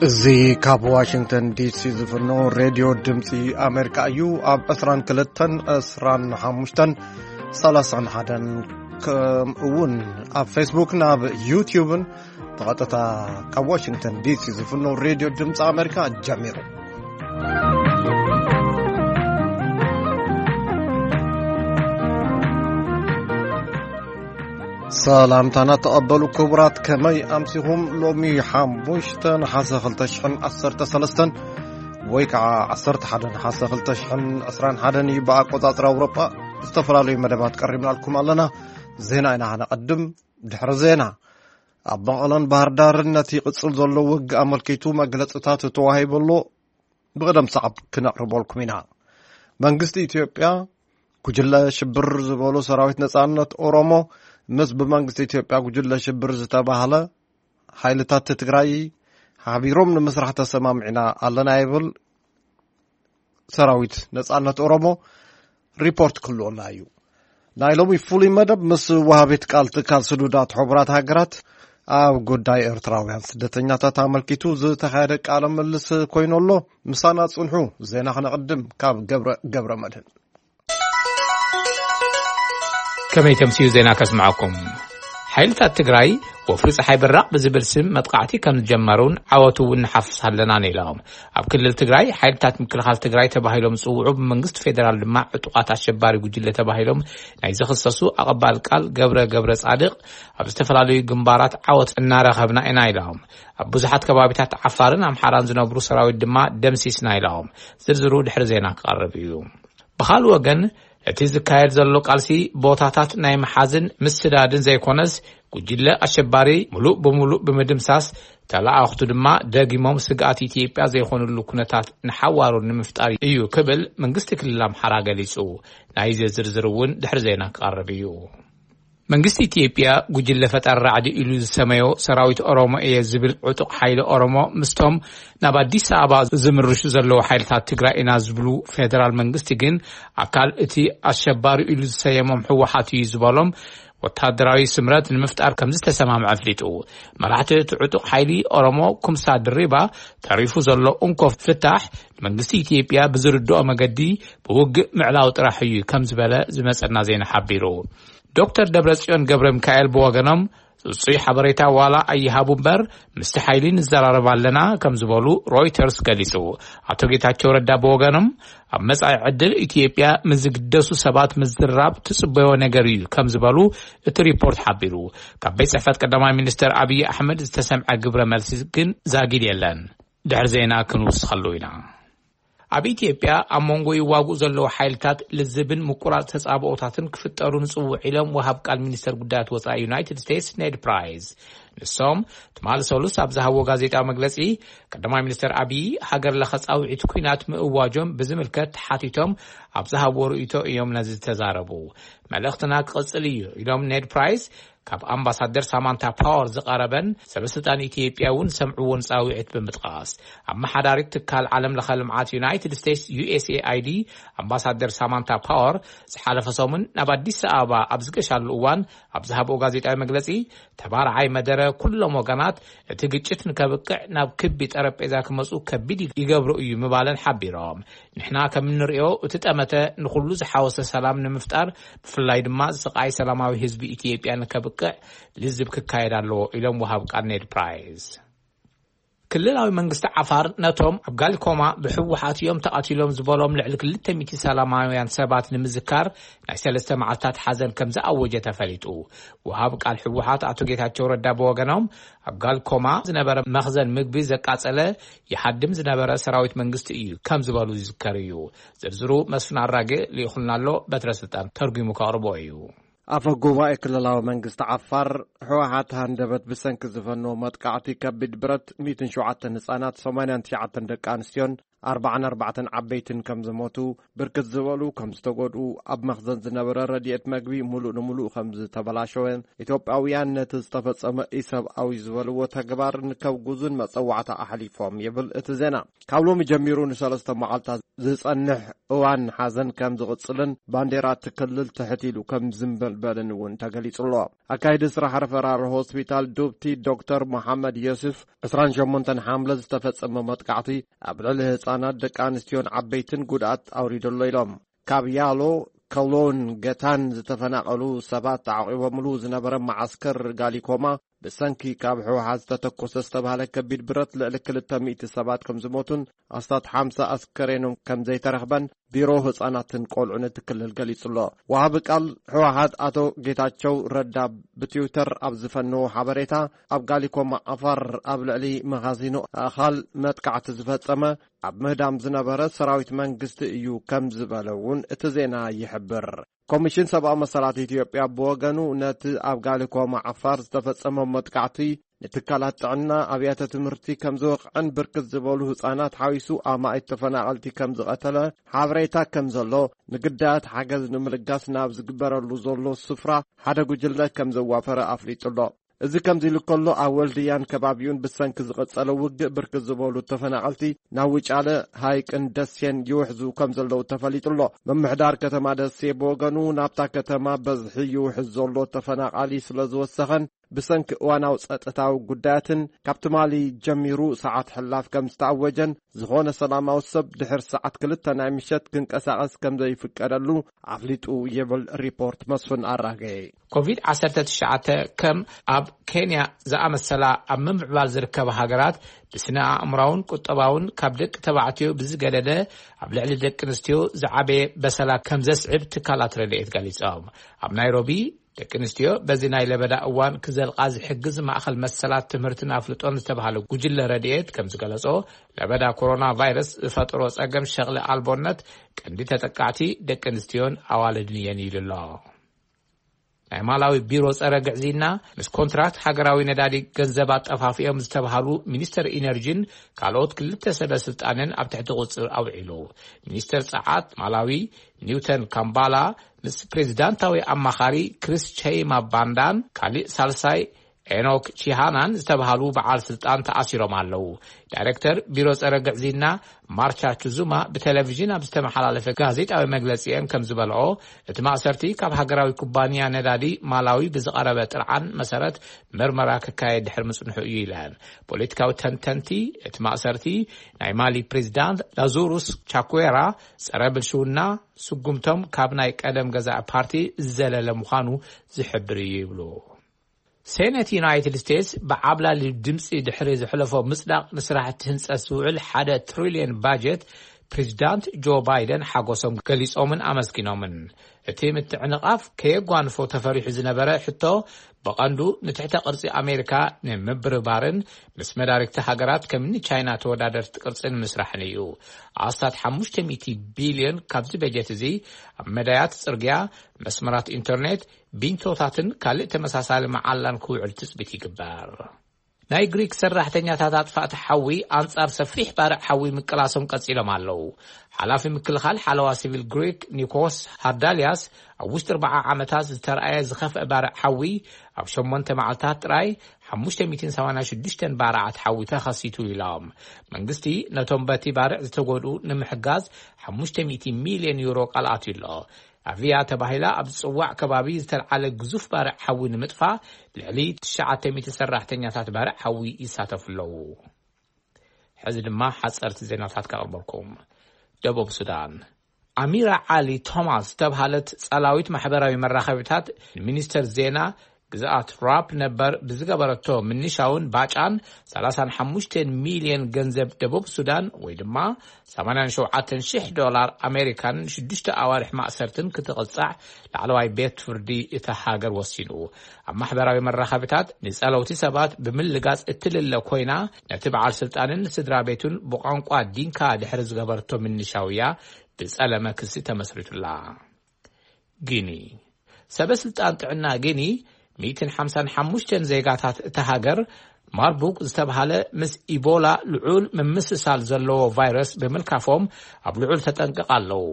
እዚ ካብ ዋሽንግተን ዲሲ ዝፍኖ ሬድዮ ድምፂ ኣሜሪካ እዩ። ኣብ ዕስራን ክልተን፣ ዕስራን ሓሙሽተን፣ ሰላሳን ሓደን፣ ከምኡ እውን ኣብ ፌስቡክ፣ ናብ ዩትዩብን ብቐጥታ ካብ ዋሽንግተን ዲሲ ዝፍኖ ሬድዮ ድምፂ ኣሜሪካ ጀሚሩ። ሰላምታና ተቐበሉ ክቡራት፣ ከመይ ኣምሲኹም? ሎሚ ሓሙሽተ ነሓሰ ክልተ ሽሕን ዓሰርተ ሰለስተን ወይ ከዓ ዓሰርተ ሓደ ነሓሰ ክልተ ሽሕን ዕስራን ሓደን እዩ ብኣቆጻጽራ ኣውሮጳ። ዝተፈላለዩ መደባት ቀሪብናልኩም ኣለና። ዜና ኢና ከነቐድም። ድሕሪ ዜና፣ ኣብ መቐለን ባህር ዳርን ነቲ ይቕጽል ዘሎ ውግእ ኣመልኪቱ መግለጽታት ተዋሂቡ ኣሎ። ብቕደም ሰዓብ ክነቕርበልኩም ኢና። መንግስቲ ኢትዮጵያ ጉጅለ ሽብር ዝበሉ ሰራዊት ነጻነት ኦሮሞ ምስ ብመንግስቲ ኢትዮጵያ ጉጅለ ሽብር ዝተባህለ ሓይልታት ትግራይ ሓቢሮም ንምስራሕ ተሰማሚዕና ኣለና ይብል ሰራዊት ነጻነት ኦሮሞ። ሪፖርት ክህልወና እዩ። ናይ ሎሚ ፍሉይ መደብ ምስ ወሃቢት ቃል ትካል ስዱዳት ሕቡራት ሃገራት ኣብ ጉዳይ ኤርትራውያን ስደተኛታት ኣመልኪቱ ዝተኻየደ ቃለ ምልልስ ኮይኑ ኣሎ። ምሳና ጽንሑ። ዜና ክነቕድም ካብ ገብረ፣ ገብረ መድህን። ከመይ ተምስዩ ዜና ከስምዓኩም። ሓይልታት ትግራይ ወፍሪ ፀሓይ በራቕ ብዝብል ስም መጥቃዕቲ ከም ዝጀመሩን ዓወቱ እውን ንሓፍስ ኣለናን ኢሎም። ኣብ ክልል ትግራይ ሓይልታት ምክልኻል ትግራይ ተባሂሎም ዝፅውዑ፣ ብመንግስቲ ፌዴራል ድማ ዕጡቓት ኣሸባሪ ጉጅለ ተባሂሎም ናይ ዝኽሰሱ ኣቐባል ቃል ገብረ ገብረ ጻድቕ ኣብ ዝተፈላለዩ ግንባራት ዓወት እናረኸብና ኢና ኢሎም። ኣብ ብዙሓት ከባቢታት ዓፋርን ኣምሓራን ዝነብሩ ሰራዊት ድማ ደምሲስና ኢሎም። ዝርዝሩ ድሕሪ ዜና ክቐርብ እዩ። ብኻልእ ወገን፣ እቲ ዝካየድ ዘሎ ቃልሲ ቦታታት ናይ ምሓዝን ምስዳድን ዘይኮነስ፣ ጉጅለ ኣሸባሪ ሙሉእ ብሙሉእ ብምድምሳስ፣ ተለኣኽቱ ድማ ደጊሞም ስግኣት ኢትዮጵያ ዘይኮኑሉ ኩነታት ንሓዋሩ ንምፍጣር እዩ ክብል መንግስቲ ክልል ኣምሓራ ገሊጹ። ናይዚ ዝርዝር እውን ድሕሪ ዜና ክቐርብ እዩ። መንግስቲ ኢትዮጵያ ጉጅለ ፈጣሪ ራዕዲ ኢሉ ዝሰመዮ ሰራዊት ኦሮሞ እየ ዝብል ዕጡቕ ሓይሊ ኦሮሞ ምስቶም ናብ ኣዲስ ኣበባ ዝምርሹ ዘለዉ ሓይልታት ትግራይ ኢና ዝብሉ ፌደራል መንግስቲ ግን ኣካል እቲ ኣሸባሪ ኢሉ ዝሰየሞም ህወሓት እዩ ዝበሎም ወታደራዊ ስምረት ንምፍጣር ከም ዝተሰማምዐ ኣፍሊጡ። መራሕቲ እቲ ዕጡቕ ሓይሊ ኦሮሞ ኩምሳ ድሪባ ተሪፉ ዘሎ እንኮ ፍታሕ ንመንግስቲ ኢትዮጵያ ብዝርድኦ መገዲ ብውግእ ምዕላው ጥራሕ እዩ ከም ዝበለ ዝመጸና ዜና ሓቢሩ። ዶክተር ደብረጽዮን ገብረ ሚካኤል ብወገኖም፣ ጽጹይ ሓበሬታ ዋላ ኣይሃቡ እምበር፣ ምስቲ ሓይሊ ንዘራረብ ኣለና ከም ዝበሉ ሮይተርስ ገሊጹ። ኣቶ ጌታቸው ረዳ ብወገኖም፣ ኣብ መጻኢ ዕድል ኢትዮጵያ ምስ ዝግደሱ ሰባት ምዝራብ ትጽበዮ ነገር እዩ ከም ዝበሉ እቲ ሪፖርት ሓቢሩ። ካብ ቤት ጽሕፈት ቀዳማይ ሚኒስተር ኣብይ ኣሕመድ ዝተሰምዐ ግብረ መልሲ ግን ዛጊድ የለን። ድሕሪ ዜና ክንውስኸሉ ኢና። ኣብ ኢትዮጵያ ኣብ መንጎ ይዋግኡ ዘለዉ ሓይልታት ልዝብን ምቁራጽ ተጻብኦታትን ክፍጠሩ ንጽውዕ ኢሎም ወሃብ ቃል ሚኒስተር ጉዳያት ወጻኢ ዩናይትድ ስቴትስ ኔድ ፕራይስ። ንሶም ትማሊ ሰሉስ ኣብ ዝሃብዎ ጋዜጣዊ መግለጺ፣ ቀዳማይ ሚኒስተር ኣብይ ሃገር ለኸ ጻውዒት ኲናት ምእዋጆም ብዝምልከት ተሓቲቶም ኣብ ዝሃብዎ ርእይቶ እዮም ነዚ ዝተዛረቡ። መልእኽትና ክቕጽል እዩ ኢሎም ኔድ ፕራይስ፣ ካብ ኣምባሳደር ሳማንታ ፓወር ዝቐረበን ሰበስልጣን ኢትዮጵያ እውን ሰምዕዎን ጻውዒት ብምጥቃስ፣ ኣመሓዳሪት ትካል ዓለም ለኸ ልምዓት ዩናይትድ ስቴትስ ዩ ኤስ ኤ ኣይ ዲ ኣምባሳደር ሳማንታ ፓወር ዝሓለፈ ሰሙን ናብ ኣዲስ ኣበባ ኣብ ዝገሻሉ እዋን ኣብ ዝሃብኦ ጋዜጣዊ መግለጺ፣ ተባራዓይ መደረ ኩሎም ወገናት እቲ ግጭት ንከብቅዕ ናብ ክቢ ጠረጴዛ ክመጹ ከቢድ ይገብሮ እዩ ምባለን ሓቢሮም። ንሕና ከም እንርእዮ እቲ ጠመተ ንኹሉ ዝሓወሰ ሰላም ንምፍጣር፣ ብፍላይ ድማ ስቓይ ሰላማዊ ህዝቢ ኢትዮጵያ ንከብቅዕ ልዝብ ክካየድ ኣለዎ ኢሎም ወሃብ ቃል ኔድ ፕራይስ። ክልላዊ መንግስቲ ዓፋር ነቶም ኣብ ጋሊኮማ ብህወሓት እዮም ተቐቲሎም ዝበሎም ልዕሊ ክልተ ሚእቲ ሰላማውያን ሰባት ንምዝካር ናይ ሰለስተ መዓልታት ሓዘን ከም ዝኣወጀ ተፈሊጡ። ወሃብ ቃል ህወሓት ኣቶ ጌታቸው ረዳ ብወገኖም፣ ኣብ ጋሊኮማ ዝነበረ መኽዘን ምግቢ ዘቃጸለ ይሃድም ዝነበረ ሰራዊት መንግስቲ እዩ ከም ዝበሉ ይዝከር እዩ። ዝርዝሩ መስፍን ኣራጌ ልኢኹልና ኣሎ፣ በትረ ስልጣን ተርጉሙ ከቕርቦ እዩ። ኣፈ ጉባኤ ክልላዊ መንግስቲ ዓፋር፣ ህወሓት ሃንደበት ብሰንኪ ዝፈነዎ መጥቃዕቲ ከቢድ ብረት ሚእትን ሸውዓተን ህጻናት፣ ሰማንያን ትሽዓተን ደቂ ኣንስትዮን ኣርባዓን ኣርባዕተን ዓበይትን ከም ዝሞቱ፣ ብርክት ዝበሉ ከም ዝተጎድኡ፣ ኣብ መኽዘን ዝነበረ ረድኤት መግቢ ሙሉእ ንሙሉእ ከም ዝተበላሸወን፣ ኢትዮጵያውያን ነቲ ዝተፈጸመ ኢሰብኣዊ ዝበልዎ ተግባር ንከውግዙን መጸዋዕታ ኣሕሊፎም ይብል እቲ ዜና። ካብ ሎሚ ጀሚሩ ንሰለስተ መዓልታት ዝጸንሕ እዋን ሓዘን ከም ዝቕጽልን ባንዴራ እቲ ክልል ትሕት ኢሉ ከም ዝንበልበልን እውን ተገሊጹ ኣሎ። ኣካይዲ ስራሕ ረፈራል ሆስፒታል ዱብቲ ዶክተር መሓመድ ዮስፍ፣ ዕስራን ሸሞንተን ሓምለ ዝተፈጸመ መጥቃዕቲ ኣብ ልዕሊ ህጻናት፣ ደቂ ኣንስትዮን ዓበይትን ጉድኣት ኣውሪዱ ኣሎ ኢሎም። ካብ ያሎ፣ ከሎን፣ ገታን ዝተፈናቐሉ ሰባት ተዓቂቦምሉ ዝነበረ መዓስከር ጋሊኮማ፣ ብሰንኪ ካብ ህወሓት ዝተተኮሰ ዝተባህለ ከቢድ ብረት ልዕሊ ክልተ ሚእቲ ሰባት ከም ዝሞቱን ኣስታት ሓምሳ ኣስከሬኖም ከም ዘይተረኽበን ቢሮ ህጻናትን ቆልዑን እቲ ክልል ገሊጹ ኣሎ። ወሃቢ ቃል ህወሓት ኣቶ ጌታቸው ረዳ ብትዊተር ኣብ ዝፈነዎ ሓበሬታ፣ ኣብ ጋሊኮማ ዓፋር ኣብ ልዕሊ መኻዚኖ ኣእኻል መጥቃዕቲ ዝፈጸመ፣ ኣብ ምህዳም ዝነበረ ሰራዊት መንግስቲ እዩ ከም ዝበለ እውን እቲ ዜና ይሕብር። ኮሚሽን ሰብኣዊ መሰላት ኢትዮጵያ ብወገኑ፣ ነቲ ኣብ ጋሊኮማ ዓፋር ዝተፈጸመ መጥቃዕቲ ንትካላት ጥዕና፣ ኣብያተ ትምህርቲ ከም ዝወቕዐን ብርክት ዝበሉ ህጻናት ሓዊሱ ኣማኢት ተፈናቐልቲ ከም ዝቐተለ ሓበሬታ ከም ዘሎ፣ ንግዳያት ሓገዝ ንምልጋስ ናብ ዝግበረሉ ዘሎ ስፍራ ሓደ ጉጅለ ከም ዘዋፈረ ኣፍሊጡ ኣሎ። እዚ ከምዚ ኢሉ ከሎ፣ ኣብ ወልድያን ከባቢኡን ብሰንኪ ዝቐጸለ ውግእ ብርክት ዝበሉ ተፈናቐልቲ ናብ ውጫለ፣ ሃይቅን ደሴን ይውሕዙ ከም ዘለዉ ተፈሊጡ ኣሎ። ምምሕዳር ከተማ ደሴ ብወገኑ፣ ናብታ ከተማ በዝሒ ይውሕዝ ዘሎ ተፈናቓሊ ስለ ዝወሰኸን ብሰንኪ እዋናዊ ጸጥታዊ ጉዳያትን ካብ ትማሊ ጀሚሩ ሰዓት ሕላፍ ከም ዝተኣወጀን፣ ዝኾነ ሰላማዊ ሰብ ድሕሪ ሰዓት ክልተ ናይ ምሸት ክንቀሳቐስ ከም ዘይፍቀደሉ ኣፍሊጡ ይብል ሪፖርት መስፍን ኣራጌ። ኮቪድ ዓሰርተ ትሽዓተ ከም ኣብ ኬንያ ዝኣመሰላ ኣብ ምምዕባል ዝርከባ ሃገራት ብስነ ኣእምራውን ቁጠባውን ካብ ደቂ ተባዕትዮ ብዝገደደ ኣብ ልዕሊ ደቂ ኣንስትዮ ዝዓበየ በሰላ ከም ዘስዕብ ትካላት ረድኤት ገሊጾም። ኣብ ናይሮቢ ደቂ ኣንስትዮ በዚ ናይ ለበዳ እዋን ክዘልቓ ዝሕግዝ ማእኸል መሰላት ትምህርትን ኣፍልጦን ዝተባህለ ጉጅለ ረድኤት ከም ዝገለጾ፣ ለበዳ ኮሮና ቫይረስ ዝፈጠሮ ጸገም ሸቕሊ ኣልቦነት ቀንዲ ተጠቃዕቲ ደቂ ኣንስትዮን ኣዋልድን እየን ኢሉ ኣሎ። ናይ ማላዊ ቢሮ ጸረ ግዕዝይና ምስ ኮንትራክት ሃገራዊ ነዳዲ ገንዘብ ኣጠፋፊኦም ዝተባሃሉ ሚኒስተር ኢነርጂን ካልኦት ክልተ ሰበ ስልጣንን ኣብ ትሕቲ ቁጽር ኣውዒሉ። ሚኒስተር ጸዓት ማላዊ ኒውተን ካምባላ ምስ ፕሬዚዳንታዊ ኣማኻሪ ክሪስ ቸይማ ባንዳን ካሊእ ሳልሳይ ኤኖክ ቺሃናን ዝተባሃሉ በዓል ስልጣን ተኣሲሮም ኣለዉ። ዳይሬክተር ቢሮ ጸረ ግዕዝይና ማርቻ ቹዙማ ብቴሌቪዥን ኣብ ዝተመሓላለፈ ጋዜጣዊ መግለጺአን ከም ዝበልኦ፣ እቲ ማእሰርቲ ካብ ሃገራዊ ኩባንያ ነዳዲ ማላዊ ብዝቐረበ ጥርዓን መሰረት ምርመራ ክካየድ ድሕሪ ምጽንሑ እዩ ኢለን። ፖለቲካዊ ተንተንቲ፣ እቲ ማእሰርቲ ናይ ማሊ ፕሬዚዳንት ላዙሩስ ቻኩዌራ ጸረ ብልሽውና ስጉምቶም ካብ ናይ ቀደም ገዛኢ ፓርቲ ዝዘለለ ምዃኑ ዝሕብር እዩ ይብሉ። ሴኔት ዩናይትድ ስቴትስ ብዓብላሊ ድምፂ ድሕሪ ዘሕለፎ ምፅዳቕ ንስራሕቲ ህንፀት ዝውዕል ሓደ ትሪልዮን ባጀት ፕሬዚዳንት ጆ ባይደን ሓጎሶም ገሊፆምን ኣመስጊኖምን። እቲ ምትዕንቓፍ ከየጓንፎ ተፈሪሑ ዝነበረ ሕቶ ብቐንዱ ንትሕተ ቅርፂ ኣሜሪካ ንምብርባርን ምስ መዳርግቲ ሃገራት ከምኒ ቻይና ተወዳደርቲ ቅርፂ ንምስራሕን እዩ። ኣስታት ሓሙሽተ ሚእቲ ቢልዮን ካብዚ በጀት እዚ ኣብ መዳያት ፅርግያ፣ መስመራት ኢንተርኔት፣ ቢንቶታትን ካልእ ተመሳሳሊ መዓላን ክውዕል ትፅቢት ይግበር። ናይ ግሪክ ሰራሕተኛታት ኣጥፋእቲ ሓዊ ኣንጻር ሰፊሕ ባርዕ ሓዊ ምቅላሶም ቀጺሎም ኣለዉ። ሓላፊ ምክልኻል ሓለዋ ሲቪል ግሪክ ኒኮስ ሃርዳልያስ፣ ኣብ ውሽጢ ኣርባዓ ዓመታት ዝተረኣየ ዝኸፍአ ባርዕ ሓዊ፣ ኣብ ሸሞንተ መዓልታት ጥራይ ሓሙሽተ ሚእትን ሰማንያን ሽዱሽተን ባርዓት ሓዊ ተኸሲቱ ኢሎም። መንግስቲ ነቶም በቲ ባርዕ ዝተጎድኡ ንምሕጋዝ ሓሙሽተ ሚእቲ ሚልዮን ዩሮ ቃል ኣትዩ ኣሎ። ኣቪያ ተባሂላ ኣብ ዝጽዋዕ ከባቢ ዝተልዓለ ግዙፍ ባርዕ ሓዊ ንምጥፋእ ልዕሊ ትሽዓተ ሚእቲ ሰራሕተኛታት ባርዕ ሓዊ ይሳተፉ ኣለዉ። ሕዚ ድማ ሓጸርቲ ዜናታት ከቕርበልኩም። ደቡብ ሱዳን፣ ኣሚራ ዓሊ ቶማስ ዝተብሃለት ጻላዊት ማሕበራዊ መራኸቢታት ንሚኒስተር ዜና ግዝኣት ራፕ ነበር ብዝገበረቶ ምንሻውን ባጫን ሰላሳን ሓሙሽተን ሚልዮን ገንዘብ ደቡብ ሱዳን ወይ ድማ ሰማንያን ሸውዓተን ሽሕ ዶላር ኣሜሪካን ሽዱሽተ ኣዋርሕ ማእሰርትን ክትቕጻዕ ላዕለዋይ ቤት ፍርዲ እታ ሃገር ወሲኑ። ኣብ ማሕበራዊ መራኸቢታት ንጸለውቲ ሰባት ብምልጋጽ እትልለ ኮይና፣ ነቲ በዓል ስልጣንን ስድራ ቤቱን ብቋንቋ ዲንካ ድሕሪ ዝገበረቶ ምንሻውያ ብጸለመ ክሲ ተመስሪቱላ። ጊኒ፣ ሰበ ስልጣን ጥዕና ጊኒ፣ ሚእትን ሓምሳን ሓሙሽተን ዜጋታት እታ ሃገር ማርቡክ ዝተብሃለ ምስ ኢቦላ ልዑል ምምስሳል ዘለዎ ቫይረስ ብምልካፎም ኣብ ልዑል ተጠንቀቕ ኣለዉ።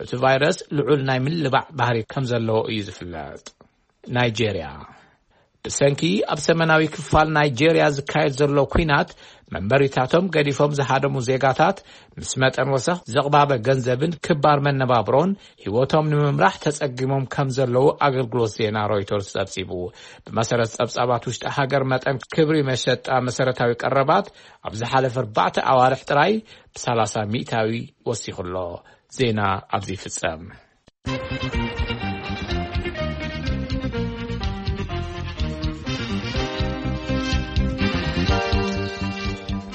እቲ ቫይረስ ልዑል ናይ ምልባዕ ባህሪ ከም ዘለዎ እዩ ዝፍለጥ። ናይጄርያ። ብሰንኪ ኣብ ሰሜናዊ ክፋል ናይጄርያ ዝካየድ ዘሎ ኲናት መንበሪታቶም ገዲፎም ዝሃደሙ ዜጋታት ምስ መጠን ወሰኽ ዘቕባበ ገንዘብን ክባር መነባብሮን ህይወቶም ንምምራሕ ተጸጊሞም ከም ዘለዉ ኣገልግሎት ዜና ሮይተርስ ጸብጺቡ። ብመሰረት ጸብጻባት ውሽጢ ሃገር፣ መጠን ክብሪ መሸጣ መሰረታዊ ቀረባት ኣብ ዝሓለፈ ኣርባዕተ ኣዋርሕ ጥራይ ብ30% ወሲኹ ኣሎ። ዜና ኣብዚ ይፍጸም።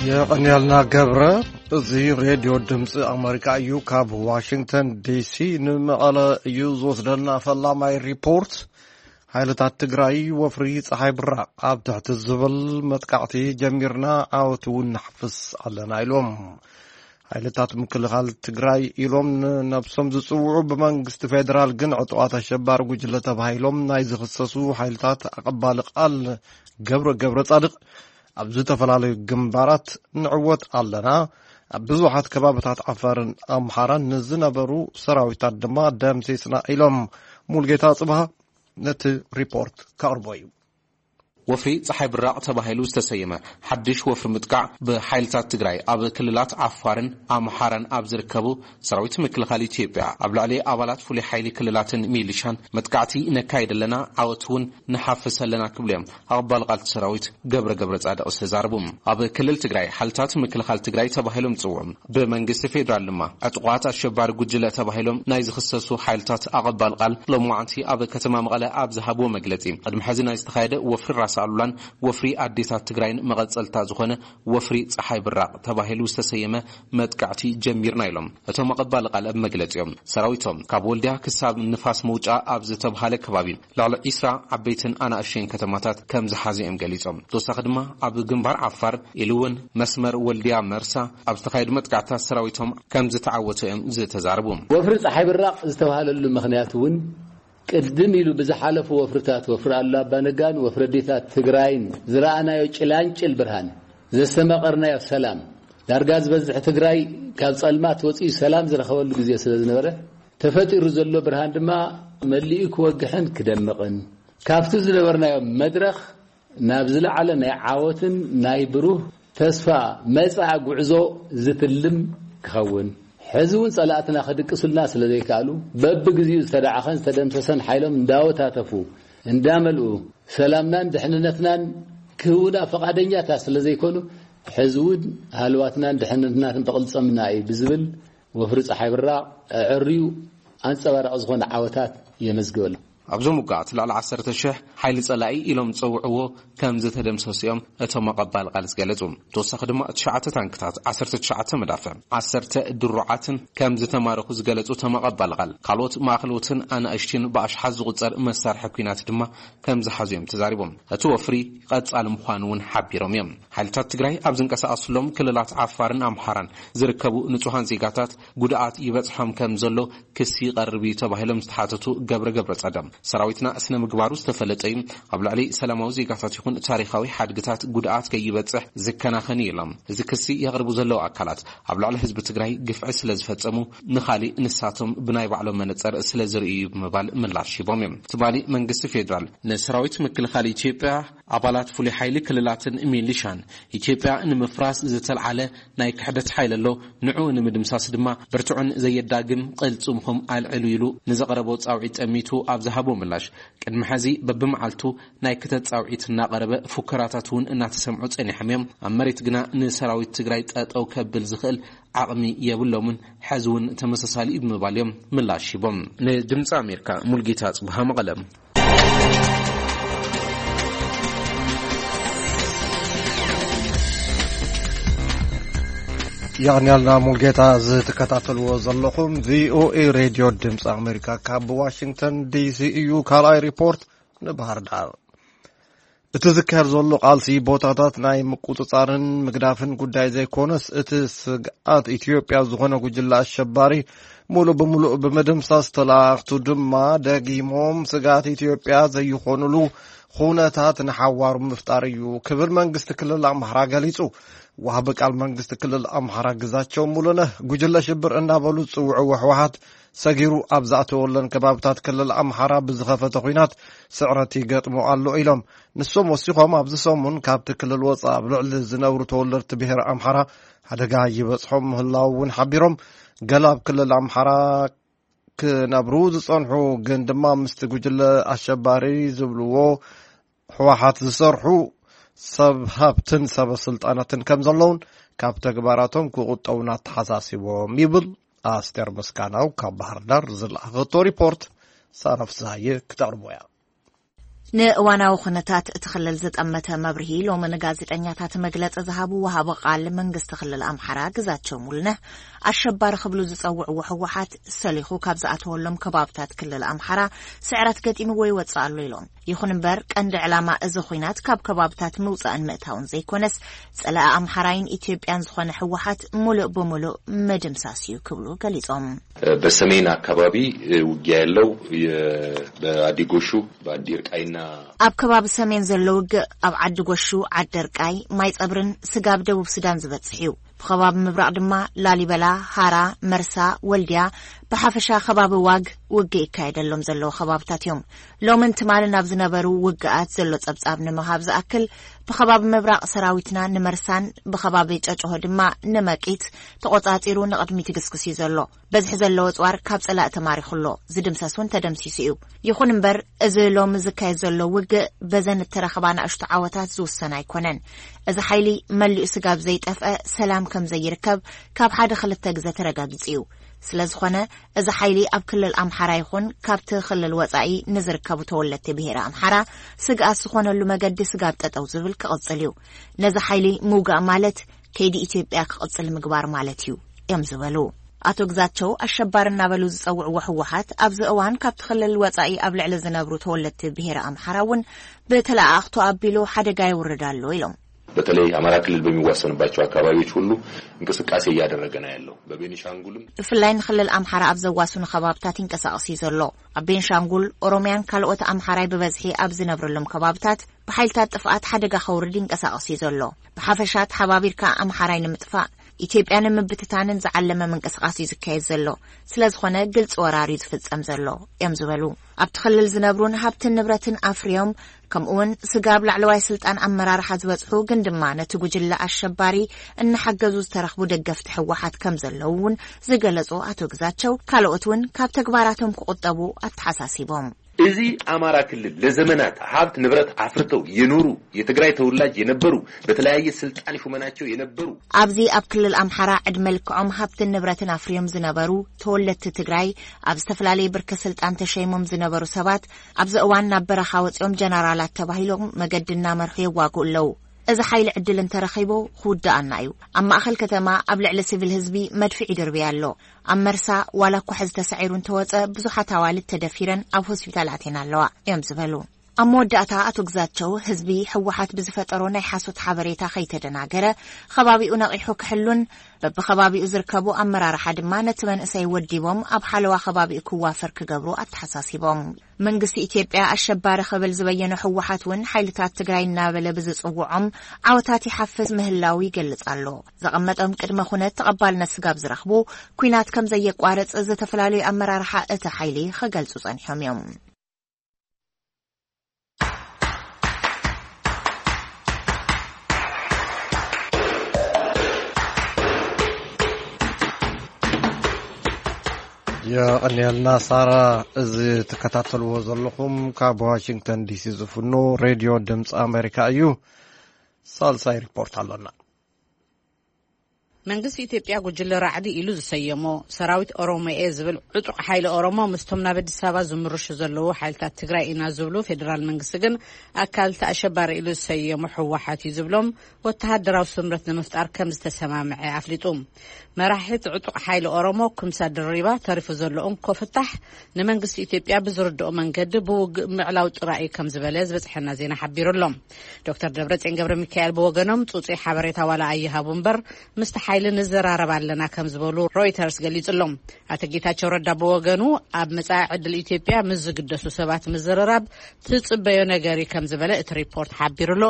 የቐንያልና ገብረ። እዚ ሬድዮ ድምፂ ኣመሪካ እዩ። ካብ ዋሽንግተን ዲሲ ንመቐለ እዩ ዝወስደና ፈላማይ ሪፖርት። ሓይልታት ትግራይ ወፍሪ ፀሓይ ብራቕ ኣብ ትሕቲ ዝብል መጥቃዕቲ ጀሚርና፣ ዓወት እውን ንሓፍስ ኣለና ኢሎም። ሓይልታት ምክልኻል ትግራይ ኢሎም ንነብሶም ዝፅውዑ ብመንግስቲ ፌዴራል ግን ዕጡቓት ኣሸባሪ ጉጅለ ተባሂሎም ናይ ዝኽሰሱ ሓይልታት ኣቐባሊ ቃል ገብረ ገብረ ጻድቕ፣ ኣብ ዝተፈላለዩ ግንባራት ንዕወት ኣለና፣ ኣብ ብዙሓት ከባብታት ዓፋርን ኣምሓራን ንዝነበሩ ሰራዊታት ድማ ደምሲስና ኢሎም። ሙልጌታ ጽብሃ ነቲ ሪፖርት ከቕርቦ እዩ። ወፍሪ ጸሓይ ብራቕ ተባሂሉ ዝተሰየመ ሓድሽ ወፍሪ ምጥቃዕ ብሓይልታት ትግራይ ኣብ ክልላት ዓፋርን ኣምሓራን ኣብ ዝርከቡ ሰራዊት ምክልኻል ኢትዮጵያ ኣብ ልዕሊ ኣባላት ፍሉይ ሓይሊ ክልላትን ሚሊሻን መጥቃዕቲ ነካይድ ኣለና፣ ዓወት እውን ንሓፍስ ኣለና ክብሉ እዮም ኣቕባል ቃልቲ ሰራዊት ገብረ ገብረ ጻድቕ ዝተዛረቡ። ኣብ ክልል ትግራይ ሓይልታት ምክልኻል ትግራይ ተባሂሎም ዝጽውዑ ብመንግስቲ ፌዴራል ድማ ዕጡቓት ኣሸባሪ ጉጅለ ተባሂሎም ናይ ዝኽሰሱ ሓይልታት ኣቐባል ቃል ሎማዕንቲ ኣብ ከተማ መቐለ ኣብ ዝሃብዎ መግለጺ፣ ቅድሚ ሕዚ ናይ ዝተኻየደ ወፍሪ ራስ ኣሉላን ወፍሪ ኣዴታት ትግራይን መቐጸልታ ዝኾነ ወፍሪ ጸሓይ ብራቕ ተባሂሉ ዝተሰየመ መጥቃዕቲ ጀሚርና ኢሎም። እቶም ኣቐባል ቃል ኣብ መግለጺኦም፣ ሰራዊቶም ካብ ወልዲያ ክሳብ ንፋስ መውጫ ኣብ ዝተብሃለ ከባቢ ልዕሊ ዒስራ ዓበይትን ኣናእሽተይን ከተማታት ከም ዝሓዘ እዮም ገሊጾም። ተወሳኺ ድማ ኣብ ግንባር ዓፋር ኢሉ እውን መስመር ወልድያ መርሳ ኣብ ዝተኻየዱ መጥቃዕትታት ሰራዊቶም ከም ዝተዓወቱ እዮም ዝተዛረቡ። ወፍሪ ጸሓይ ብራቕ ዝተባህለሉ ምኽንያት እውን ቅድም ኢሉ ብዝሓለፉ ወፍርታት፣ ወፍሪ ኣሉላ ኣባነጋን ወፍሪ ኣዴታት ትግራይን ዝረኣናዮ ጭላንጭል ብርሃን፣ ዘስተማቐርናዮ ሰላም፣ ዳርጋ ዝበዝሕ ትግራይ ካብ ጸልማት ወፂኡ ሰላም ዝረኸበሉ ግዜ ስለ ዝነበረ፣ ተፈጢሩ ዘሎ ብርሃን ድማ መሊኡ ክወግሕን ክደምቕን፣ ካብቲ ዝነበርናዮ መድረኽ ናብ ዝለዓለ ናይ ዓወትን ናይ ብሩህ ተስፋ መጻኢ ጉዕዞ ዝትልም ክኸውን፣ ሕዚ እውን ጸላእትና ክድቅሱልና ስለ ዘይከኣሉ፣ በብግዜኡ ዝተዳዕኸን ዝተደምሰሰን ሓይሎም እንዳወታተፉ እንዳመልኡ፣ ሰላምናን ድሕንነትናን ክህቡና ፈቓደኛታት ስለ ዘይኮኑ፣ ሕዚ እውን ሃለዋትናን ድሕንነትናን ብቕልጽምና እዩ ብዝብል ወፍሪ ጸሓይ ብራቕ ኣዐርዩ ኣንጸባራቒ ዝኾነ ዓወታት የመዝግበሉ። ኣብዞም ውግኣት ልዕሊ ዓሰርተ ሽሕ ሓይሊ ጸላኢ ኢሎም ዝጸውዕዎ ከም ዝተደምሰሱ እዮም እቶም ኣቐባል ቃል ዝገለጹ። ተወሳኺ ድማ ትሽዓተ ታንክታት፣ ዓሰርተ ትሽዓተ መዳፍዕ፣ ዓሰርተ ድሩዓትን ከም ዝተማረኹ ዝገለጹ እቶም ኣቐባል ቃል፣ ካልኦት ማእኸሎትን ኣናእሽትን ብኣሽሓት ዝቑጸር መሳርሒ ኲናት ድማ ከም ዝሓዙ እዮም ተዛሪቦም። እቲ ወፍሪ ቀጻሊ ምዃኑ እውን ሓቢሮም እዮም። ሓይልታት ትግራይ ኣብ ዝንቀሳቐስሎም ክልላት ዓፋርን ኣምሓራን ዝርከቡ ንጹሃን ዜጋታት ጉድኣት ይበጽሖም ከም ዘሎ ክሲ ይቐርብ እዩ ተባሂሎም ዝተሓተቱ ገብረ ገብረ ጸደም፣ ሰራዊትና ስነ ምግባሩ ዝተፈለጠ እዩ፣ ኣብ ልዕሊ ሰላማዊ ዜጋታት ይኹን ታሪኻዊ ሓድግታት ጉድኣት ከይበጽሕ ዝከናኸን እዩ ኢሎም። እዚ ክሲ የቕርቡ ዘለዉ ኣካላት ኣብ ልዕሊ ህዝቢ ትግራይ ግፍዒ ስለ ዝፈጸሙ ንኻሊእ ንሳቶም ብናይ ባዕሎም መነጸር ስለ ዝርእዩ እዩ ብምባል ምላሽ ሂቦም እዮም። ትማሊ መንግስቲ ፌዴራል ንሰራዊት ምክልኻል ኢትዮጵያ፣ ኣባላት ፍሉይ ሓይሊ ክልላትን ሚሊሻን ኢትዮጵያ ንምፍራስ ዝተልዓለ ናይ ክሕደት ሓይሊ ኣሎ፣ ንዕኡ ንምድምሳስ ድማ ብርቱዕን ዘየዳግም ቅልጽምኹም ኣልዕሉ ኢሉ ንዘቕረቦ ጻውዒት ጠሚቱ ኣብ ዝሃቦ ምላሽ፣ ቅድሚ ሕዚ በብመዓልቱ ናይ ክተት ጻውዒት እናቐረበ ፉከራታት እውን እናተሰምዑ ጸኒሖም እዮም። ኣብ መሬት ግና ንሰራዊት ትግራይ ጠጠው ከብል ዝኽእል ዓቕሚ የብሎምን፣ ሕዚ እውን ተመሳሳሊ እዩ ብምባል እዮም ምላሽ ሂቦም። ንድምፂ ኣሜሪካ ሙልጌታ ጽብሃ መቐለ። የቕንያልና ሙልጌታ። ዝትከታተልዎ ዘለኹም ቪኦኤ ሬድዮ ድምፂ ኣሜሪካ ካብ ዋሽንግተን ዲሲ እዩ። ካልኣይ ሪፖርት ንባህር ዳር። እቲ ዝካየድ ዘሎ ቃልሲ ቦታታት ናይ ምቁጽጻርን ምግዳፍን ጉዳይ ዘይኮነስ፣ እቲ ስግኣት ኢትዮጵያ ዝኾነ ጉጅለ ኣሸባሪ ሙሉእ ብምሉእ ብምድምሳስ፣ ተላእኽቱ ድማ ደጊሞም ስግኣት ኢትዮጵያ ዘይኾኑሉ ኩነታት ንሓዋሩ ምፍጣር እዩ ክብል መንግስቲ ክልል ኣምሓራ ገሊጹ። ወሃቢ ቃል መንግስቲ ክልል ኣምሓራ ግዛቸው ሙሉነህ፣ ጉጅለ ሽብር እናበሉ ዝጽውዕዎ ህወሓት ሰጊሩ ኣብ ዝኣተወለን ከባብታት ክልል ኣምሓራ ብዝኸፈተ ኲናት ስዕረት ይገጥሞ ኣሎ ኢሎም። ንሶም ወሲኾም፣ ኣብዚ ሰሙን ካብቲ ክልል ወጻኢ ኣብ ልዕሊ ዝነብሩ ተወለድቲ ብሄር ኣምሓራ ሓደጋ ይበጽሖም ምህላው እውን ሓቢሮም። ገለ ኣብ ክልል ኣምሓራ ክነብሩ ዝጸንሑ ግን ድማ ምስቲ ጉጅለ ኣሸባሪ ዝብልዎ ህወሓት ዝሰርሑ ሰብ ሃብትን ሰበ ስልጣናትን ከም ዘለውን ካብ ተግባራቶም ክቑጠቡን ኣተሓሳሲቦም ይብል። ኣስቴር ምስጋናው ካብ ባህር ዳር ዝለኣኸቶ ሪፖርት ሳራ ፍስሃየ ክተቕርቦ እያ። ንእዋናዊ ኩነታት እቲ ክልል ዝጠመተ መብርሂ ሎሚ ንጋዜጠኛታት መግለጺ ዝሃቡ ወሃቢ ቃል መንግስቲ ክልል ኣምሓራ ግዛቸው ሙሉነህ፣ ኣሸባሪ ክብሉ ዝጸውዕዎ ህወሓት ሰሊኹ ካብ ዝኣተወሎም ከባብታት ክልል ኣምሓራ ስዕረት ገጢምዎ ይወጽእ ኣሎ ኢሎም። ይኹን እምበር ቀንዲ ዕላማ እዚ ኹናት ካብ ከባብታት ምውጻእን ምእታውን ዘይኮነስ፣ ጸላኢ ኣምሓራይን ኢትዮጵያን ዝኾነ ህወሓት ሙሉእ ብምሉእ ምድምሳስ እዩ ክብሉ ገሊጾም። በሰሜን አካባቢ ውጊያ ያለው የ-፣ በአዲጎሹ፣ በአዲርቃይና ኣብ ከባቢ ሰሜን ዘሎ ውግእ ኣብ ዓዲ ጎሹ፣ ዓደርቃይ፣ ማይ ጸብርን ስጋብ ደቡብ ሱዳን ዝበጽሕ እዩ። ብኸባቢ ምብራቕ ድማ ላሊበላ፣ ሃራ፣ መርሳ፣ ወልድያ፣ ብሓፈሻ ከባቢ ዋግ ውግእ ይካየደሎም ዘለዉ ከባብታት እዮም። ሎምን ትማልን ኣብ ዝነበሩ ውግኣት ዘሎ ጸብጻብ ንምሃብ ዝኣክል፣ ብኸባቢ ምብራቕ ሰራዊትና ንመርሳን ብኸባቢ ጨጭሆ ድማ ንመቂት ተቖጻጺሩ ንቕድሚት ይግስግስ እዩ ዘሎ። በዝሒ ዘለዎ ጽዋር ካብ ጸላእ ተማሪኹ ኣሎ፣ ዝድምሰስ እውን ተደምሲሱ እዩ። ይኹን እምበር፣ እዚ ሎሚ ዝካየድ ዘሎ ውግእ በዘን እተረኸባ ንኣሽቱ ዓወታት ዝውሰን ኣይኮነን። እዚ ሓይሊ መሊኡ ስጋብ ዘይጠፍአ ሰላም ከም ዘይርከብ ካብ ሓደ ክልተ ግዘ ተረጋጊጹ እዩ። ስለ ዝኾነ፣ እዚ ሓይሊ ኣብ ክልል ኣምሓራ ይኹን ካብቲ ክልል ወጻኢ ንዝርከቡ ተወለድቲ ብሄረ ኣምሓራ ስግኣት ዝኾነሉ መገዲ ስጋብ ጠጠው ዝብል ክቕጽል እዩ። ነዚ ሓይሊ ምውጋእ ማለት ከይዲ ኢትዮጵያ ክቕጽል ምግባር ማለት እዩ እዮም ዝበሉ። ኣቶ ግዛቸው ኣሸባሪ እናበሉ ዝጸውዕዎ ህወሓት ኣብዚ እዋን ካብቲ ክልል ወጻኢ ኣብ ልዕሊ ዝነብሩ ተወለድቲ ብሄረ ኣምሓራ እውን ብተለኣኣኽቱ ኣቢሉ ሓደጋ የውርድ ኣሎ ኢሎም። በተለይ አማራ ክልል በሚዋሰንባቸው አካባቢዎች ሁሉ እንቅስቃሴ እያደረገ ነው ያለው። በቤኒሻንጉልም ብፍላይ ንክልል ኣምሓራ ኣብ ዘዋስኑ ከባብታት ይንቀሳቐስ እዩ ዘሎ። ኣብ ቤንሻንጉል፣ ኦሮሚያን ካልኦት ኣምሓራይ ብበዝሒ ኣብ ዝነብረሎም ከባብታት ብሓይልታት ጥፍኣት ሓደጋ ከውርድ ይንቀሳቐስ እዩ ዘሎ። ብሓፈሻ ተሓባቢርካ ኣምሓራይ ንምጥፋእ ኢትዮጵያ ንምብትታንን ዝዓለመ ምንቅስቓስ እዩ ዝካየድ ዘሎ። ስለ ዝኾነ ግልፂ ወራር እዩ ዝፍፀም ዘሎ እዮም ዝበሉ። ኣብቲ ክልል ዝነብሩን ሃብትን ንብረትን ኣፍርዮም ከምኡውን ስጋብ ላዕለዋይ ስልጣን ኣመራርሓ ዝበፅሑ ግን ድማ ነቲ ጉጅለ ኣሸባሪ እናሓገዙ ዝተረኽቡ ደገፍቲ ህወሓት ከም ዘለዉ እውን ዝገለፁ ኣቶ ግዛቸው፣ ካልኦት እውን ካብ ተግባራቶም ክቑጠቡ ኣተሓሳሲቦም። እዚ አማራ ክልል ለዘመናት ሀብት ንብረት አፍርተው የኖሩ የትግራይ ተወላጅ የነበሩ በተለያየ ስልጣን ሹመናቸው የነበሩ ኣብዚ ኣብ ክልል ኣምሓራ ዕድመ ልክዖም ሃብትን ንብረትን ኣፍርዮም ዝነበሩ ተወለድቲ ትግራይ፣ ኣብ ዝተፈላለየ ብርኪ ስልጣን ተሸይሞም ዝነበሩ ሰባት ኣብዚ እዋን ናብ በረኻ ወፂኦም ጀነራላት ተባሂሎም መገዲ እናመርሑ የዋግኡ ኣለዉ። እዚ ሓይሊ ዕድል እንተረኺቡ ክውድኣና እዩ። ኣብ ማእኸል ከተማ ኣብ ልዕሊ ሲቪል ህዝቢ መድፍዕ ይድርብይ ኣሎ። ኣብ መርሳ ዋላ እኳ ሕዚ ተሳዒሩ እንተወፀ ብዙሓት ኣዋልድ ተደፊረን ኣብ ሆስፒታል ኣትየን ኣለዋ እዮም ዝበሉ። ኣብ መወዳእታ ኣቶ ግዛቸው ህዝቢ ህወሓት ብዝፈጠሮ ናይ ሓሶት ሓበሬታ ከይተደናገረ ከባቢኡ ነቒሑ ክሕሉን በብኸባቢኡ ዝርከቡ ኣመራርሓ ድማ ነቲ መንእሰይ ወዲቦም ኣብ ሓለዋ ከባቢኡ ክዋፈር ክገብሩ ኣተሓሳሲቦም። መንግስቲ ኢትዮጵያ ኣሸባሪ ክብል ዝበየኖ ህወሓት እውን ሓይልታት ትግራይ እናበለ ብዝፅውዖም ዓወታት ይሓፍስ ምህላው ይገልጽ ኣሎ። ዘቐመጦም ቅድመ ኩነት ተቐባልነት ስጋብ ዝረኽቡ ኲናት ከም ዘየቋርጽ ዝተፈላለዩ ኣመራርሓ እቲ ሓይሊ ክገልጹ ጸኒሖም እዮም። የቐንየልና ሳራ። እዚ ትከታተልዎ ዘለኹም ካብ ዋሽንግተን ዲሲ ዝፍኖ ሬድዮ ድምፂ ኣሜሪካ እዩ። ሳልሳይ ሪፖርት ኣሎና። መንግስቲ ኢትዮጵያ ጉጅለ ራዕዲ ኢሉ ዝሰየሞ ሰራዊት ኦሮሞኤ ዝብል ዕጡቕ ሓይሊ ኦሮሞ ምስቶም ናብ ኣዲስ ኣበባ ዝምርሹ ዘለዉ ሓይልታት ትግራይ ኢና ዝብሉ ፌዴራል መንግስቲ ግን ኣካል እቲ ኣሸባሪ ኢሉ ዝሰየሞ ህወሓት እዩ ዝብሎም ወተሃደራዊ ስምረት ንምፍጣር ከም ዝተሰማምዐ ኣፍሊጡ። መራሒ እቲ ዕጡቕ ሓይሊ ኦሮሞ ኩምሳ ድሪባ ተሪፉ ዘሎ እንኮ ፍታሕ ንመንግስቲ ኢትዮጵያ ብዝርድኦ መንገዲ ብውግእ ምዕላው ጥራይ እዩ ከም ዝበለ ዝበፅሐና ዜና ሓቢሩ ኣሎ። ዶክተር ደብረፅዮን ገብረ ሚካኤል ብወገኖም ፅፁይ ሓበሬታ ዋላ ኣይሃቡ እምበር ምስቲ ሓይሊ ንዘራረብ ኣለና ከም ዝበሉ ሮይተርስ ገሊጹ ኣሎ። ኣቶ ጌታቸው ረዳ ብወገኑ ኣብ መጻኢ ዕድል ኢትዮጵያ ምስ ዝግደሱ ሰባት ምዝርራብ ትጽበዮ ነገር እዩ ከም ዝበለ እቲ ሪፖርት ሓቢሩ ኣሎ።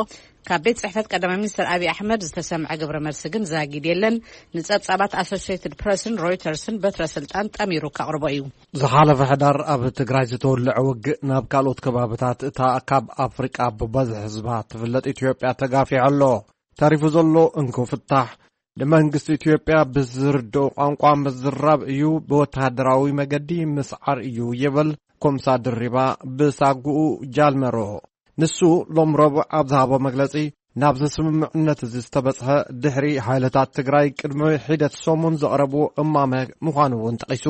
ካብ ቤት ጽሕፈት ቀዳማይ ሚኒስትር ኣብይ ኣሕመድ ዝተሰምዐ ግብረ መልሲ ግን ዛጊድ የለን። ንጸብጻባት ኣሶሲየትድ ፕረስን ሮይተርስን በትረ ስልጣን ጠሚሩ ከቕርቦ እዩ። ዝሓለፈ ሕዳር ኣብ ትግራይ ዝተወልዐ ውግእ ናብ ካልኦት ከባብታት እታ ካብ ኣፍሪቃ ብበዝሒ ህዝባ ትፍለጥ ኢትዮጵያ ተጋፊሑ ኣሎ። ተሪፉ ዘሎ እንኮ ፍታሕ ንመንግስቲ ኢትዮጵያ ብዝርድኦ ቋንቋ ምዝራብ እዩ፣ ብወተሃደራዊ መገዲ ምስዓር እዩ ይብል ኮምሳ ድሪባ ብሳጉኡ ጃልመሮ። ንሱ ሎም ረቡዕ ኣብ ዝሃቦ መግለጺ ናብዚ ስምምዕነት እዚ ዝተበጽሐ ድሕሪ ሓይልታት ትግራይ ቅድሚ ሒደት ሰሙን ዘቕረብዎ እማመ ምዃኑ እውን ጠቒሱ።